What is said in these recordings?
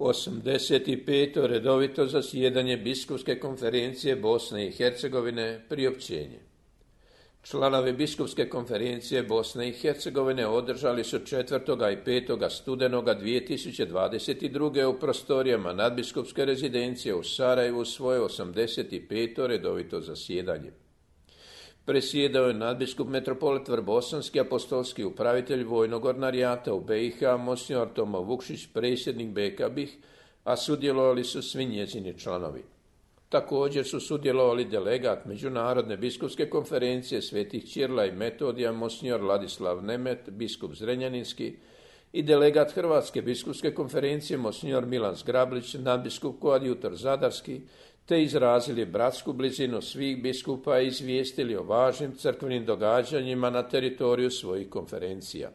85. redovito zasjedanje Biskupske konferencije Bosne i Hercegovine, priopćenje. Članovi Biskupske konferencije Bosne i Hercegovine održali su 4. i 5. studenoga 2022. u prostorijama nadbiskupske rezidencije u Sarajevu svoje 85. redovito zasjedanje. Presjedao je nadbiskup metropolit Vrbosanski, apostolski upravitelj vojnog ordinarijata u BiH, monsignor Tomo Vukšić, predsjednik BK BiH, a sudjelovali su svi njezini članovi. Također su sudjelovali delegat Međunarodne biskupske konferencije Svetih Ćirila i Metodija, monsignor Ladislav Nemet, biskup Zrenjaninski, i delegat Hrvatske biskupske konferencije monsignor Milan Zgrablić, nadbiskup koadjutor Zadarski, te izrazili bratsku blizinu svih biskupa i izvijestili o važnim crkvenim događanjima na teritoriju svojih konferencija.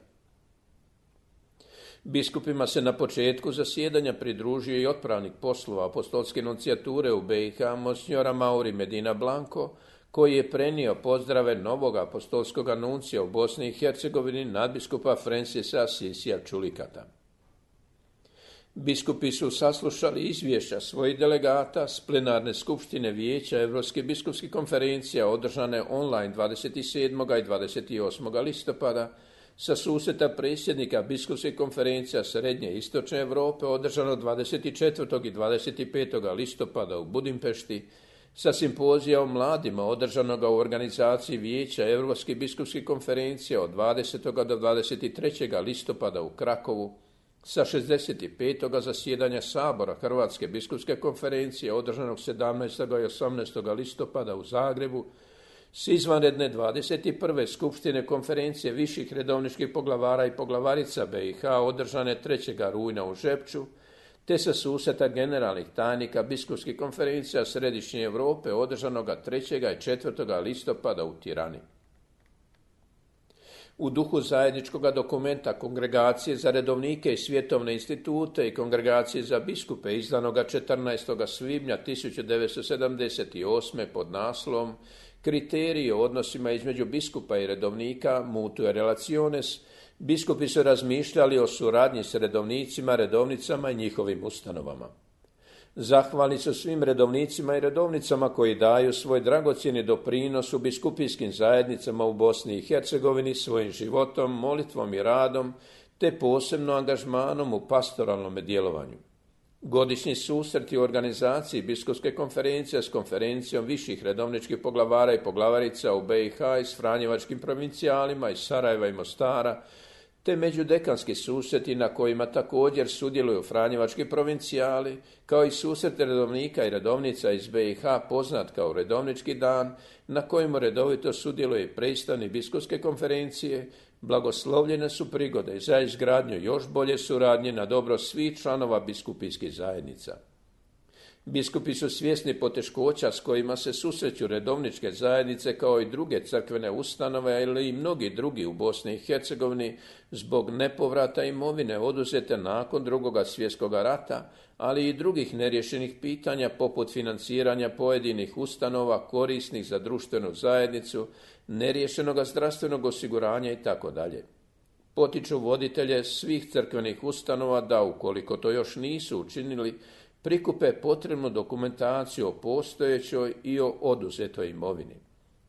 Biskupima se na početku zasjedanja pridružio i otpravnik poslova apostolske nunциjature u BiH, monsignora Mauri Medina Blanco, koji je prenio pozdrave novog apostolskog nuncija u Bosni i Hercegovini, nadbiskupa Francisa Sisija Čulikata. Biskupi su saslušali izvješća svojih delegata s plenarne skupštine Vijeća Europske biskupske konferencije održane online 27. i 28. listopada, sa susreta predsjednika biskupske konferencije Srednje i Istočne Europe održano 24. i 25. listopada u Budimpešti, sa simpozija o mladima održanoga u organizaciji Vijeća Europske biskupske konferencije od 20. do 23. listopada u Krakovu, sa 65. zasjedanja Sabora Hrvatske biskupske konferencije održanog 17. i 18. listopada u Zagrebu, s izvanredne 21. skupštine konferencije viših redovničkih poglavara i poglavarica BiH održane 3. rujna u Žepču, te sa susreta generalnih tajnika biskupskih konferencija Središnje Europe održanoga 3. i 4. listopada u Tirani. U duhu zajedničkog dokumenta Kongregacije za redovnike i svjetovne institute i Kongregacije za biskupe izdanoga 14. svibnja 1978. pod naslovom Kriteriji o odnosima između biskupa i redovnika, Mutue Relationes, biskupi su razmišljali o suradnji s redovnicima, redovnicama i njihovim ustanovama. Zahvalni su svim redovnicima i redovnicama koji daju svoj dragocjeni doprinos u biskupijskim zajednicama u Bosni i Hercegovini svojim životom, molitvom i radom, te posebno angažmanom u pastoralnom djelovanju. Godišnji susreti u organizaciji biskupske konferencije s konferencijom viših redovničkih poglavara i poglavarica u BiH i s franjevačkim provincijalima iz Sarajeva i Mostara, te međudekanski susreti na kojima također sudjeluju franjevački provincijali, kao i susret redovnika i redovnica iz BiH poznat kao redovnički dan, na kojemu redovito sudjeluje i predstavnik biskupske konferencije, blagoslovljene su prigode za izgradnju još bolje suradnje na dobro svih članova biskupijskih zajednica. Biskupi su svjesni poteškoća s kojima se susreću redovničke zajednice kao i druge crkvene ustanove, ili i mnogi drugi u Bosni i Hercegovini zbog nepovrata imovine oduzete nakon II. Svjetskog rata, ali i drugih neriješenih pitanja poput financiranja pojedinih ustanova korisnih za društvenu zajednicu, neriješenog zdravstvenog osiguranja itd. Potiču voditelje svih crkvenih ustanova da, ukoliko to još nisu učinili, prikupe potrebnu dokumentaciju o postojećoj i o oduzetoj imovini.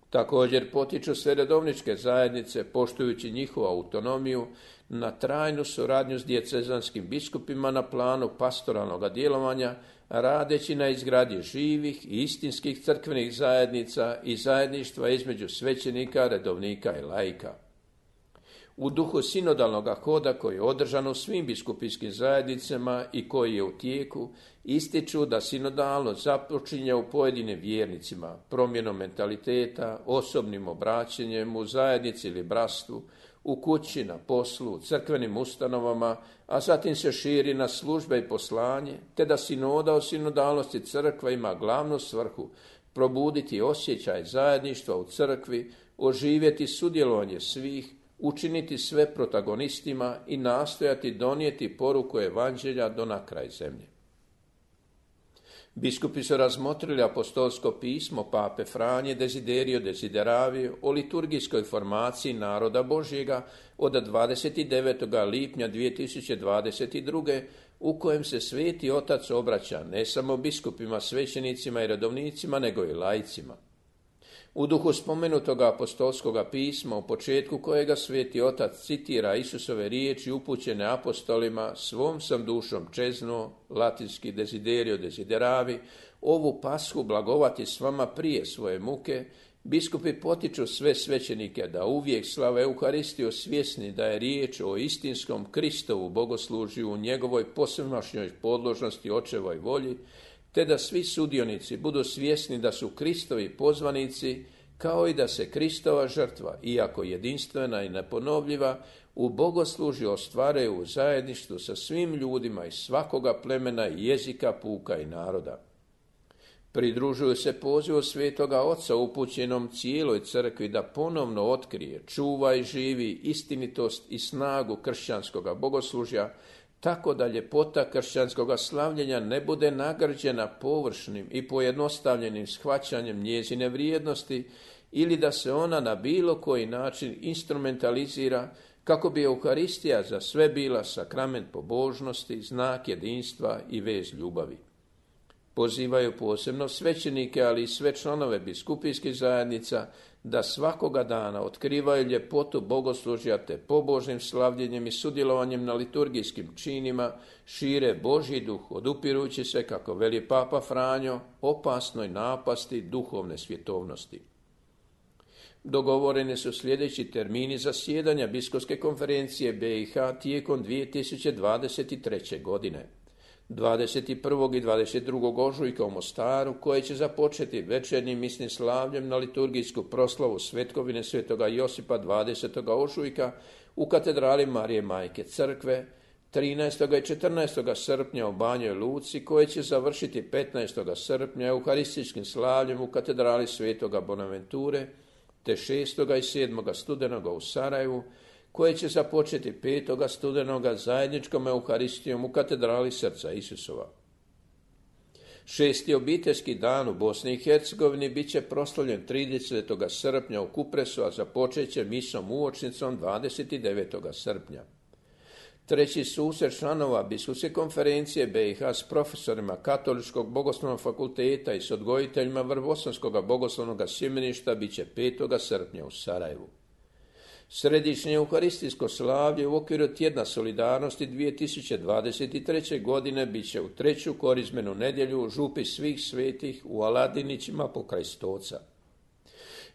Također potiču sve redovničke zajednice, poštujući njihovu autonomiju, na trajnu suradnju s dijacezanskim biskupima na planu pastoralnog djelovanja, radeći na izgradnji živih i istinskih crkvenih zajednica i zajedništva između svećenika, redovnika i laika. U duhu sinodalnog hoda koji je održan u svim biskupijskim zajednicama i koji je u tijeku, ističu da sinodalno započinje u pojedinim vjernicima, promjenom mentaliteta, osobnim obraćanjem u zajednici ili bratstvu, u kući, na poslu, u crkvenim ustanovama, a zatim se širi na službe i poslanje, te da sinoda o sinodalnosti crkva ima glavnu svrhu probuditi osjećaj zajedništva u crkvi, oživjeti sudjelovanje svih, učiniti sve protagonistima i nastojati donijeti poruku evanđelja do na kraj zemlje. Biskupi su razmotrili apostolsko pismo pape Franje Desiderio Desideravi o liturgijskoj formaciji naroda Božjega od 29. lipnja 2022. u kojem se Sveti Otac obraća ne samo biskupima, svećenicima i redovnicima, nego i laicima. U duhu spomenutoga apostolskoga pisma, u početku kojega Sveti Otac citira Isusove riječi upućene apostolima, svom sam dušom čeznuo, latinski Desiderio Desideravi, ovu pashu blagovati s vama prije svoje muke, biskupi potiču sve svećenike da uvijek slave Euharistiju svjesni da je riječ o istinskom Kristovu bogoslužju u njegovoj posvemašnjoj podložnosti očevoj volji, te da svi sudionici budu svjesni da su Kristovi pozvanici, kao i da se Kristova žrtva, iako jedinstvena i neponovljiva, u bogoslužju ostvaruje u zajedništvu sa svim ljudima iz svakoga plemena, jezika, puka i naroda. Pridružuju se pozivu Svetoga Oca upućenom cijeloj crkvi da ponovno otkrije, čuva i živi istinitost i snagu kršćanskoga bogoslužja, tako da ljepota kršćanskoga slavljenja ne bude nagrđena površnim i pojednostavljenim shvaćanjem njezine vrijednosti ili da se ona na bilo koji način instrumentalizira kako bi Euharistija za sve bila sakrament pobožnosti, znak jedinstva i vez ljubavi. Pozivaju posebno svećenike, ali i sve članove biskupijskih zajednica da svakoga dana otkrivaju ljepotu bogoslužja te pobožnim slavljenjem i sudjelovanjem na liturgijskim činima šire Božji duh, odupirujući se, kako veli Papa Franjo, opasnoj napasti duhovne svjetovnosti. Dogovoreni su sljedeći termini zasjedanja Biskupske konferencije BiH tijekom 2023. godine. 21. i 22. ožujka u Mostaru, koje će započeti večernjim misnim slavljem na liturgijsku proslavu svetkovine Svetoga Josipa 20. ožujka u katedrali Marije Majke Crkve, 13. i 14. srpnja u Banjoj Luci, koje će završiti 15. srpnja euharističkim slavljem u katedrali Svetoga Bonaventure, te 6. i 7. studenoga u Sarajevu, koje će započeti 5. studenoga zajedničkom euharistijom u katedrali Srca Isusova. 6. obiteljski dan u Bosni i Hercegovini bit će proslavljen 30. srpnja u Kupresu, a započet će misom uočnicom 29. srpnja. 3. susret članova Biskupske konferencije BiH s profesorima Katoličkog bogoslovnog fakulteta i s odgojiteljima Vrbosanskoga bogoslovnog sjemeništa bit će 5. srpnja u Sarajevu. Središnje euharistijsko slavlje u okviru Tjedna solidarnosti 2023. godine bit će u 3. korizmenu nedjelju u župi svih svetih u Aladinićima pokraj Stoca.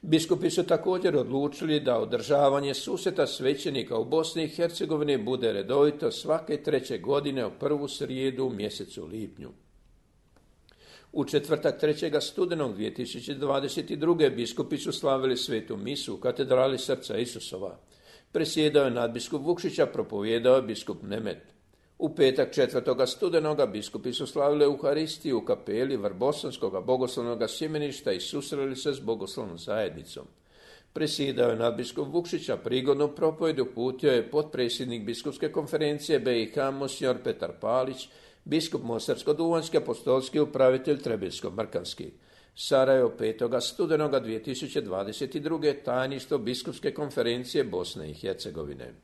Biskupi su također odlučili da održavanje susreta svećenika u Bosni i Hercegovini bude redovito svake 3. godine u prvu srijedu u mjesecu lipnju. U četvrtak 3. studenog 2022. biskupi su slavili svetu misu u katedrali Srca Isusova. Presjedao je nadbiskup Vukšića, propovijedao je biskup Nemet. U petak 4. studenoga biskupi su slavili Euharistiju u kapeli Vrbosanskoga bogoslovnog sjemeništa i susreli se s bogoslovnom zajednicom. Presjedao je nadbiskup Vukšića, prigodnu propovjed uputio je potpredsjednik Biskupske konferencije BiH monsignor Petar Palić, biskup Mostarsko-duvanjski, apostolski upravitelj Trebinsko-Mrkanski. Sarajevo 5. studenoga 2022. tajništvo Biskupske konferencije Bosne i Hercegovine.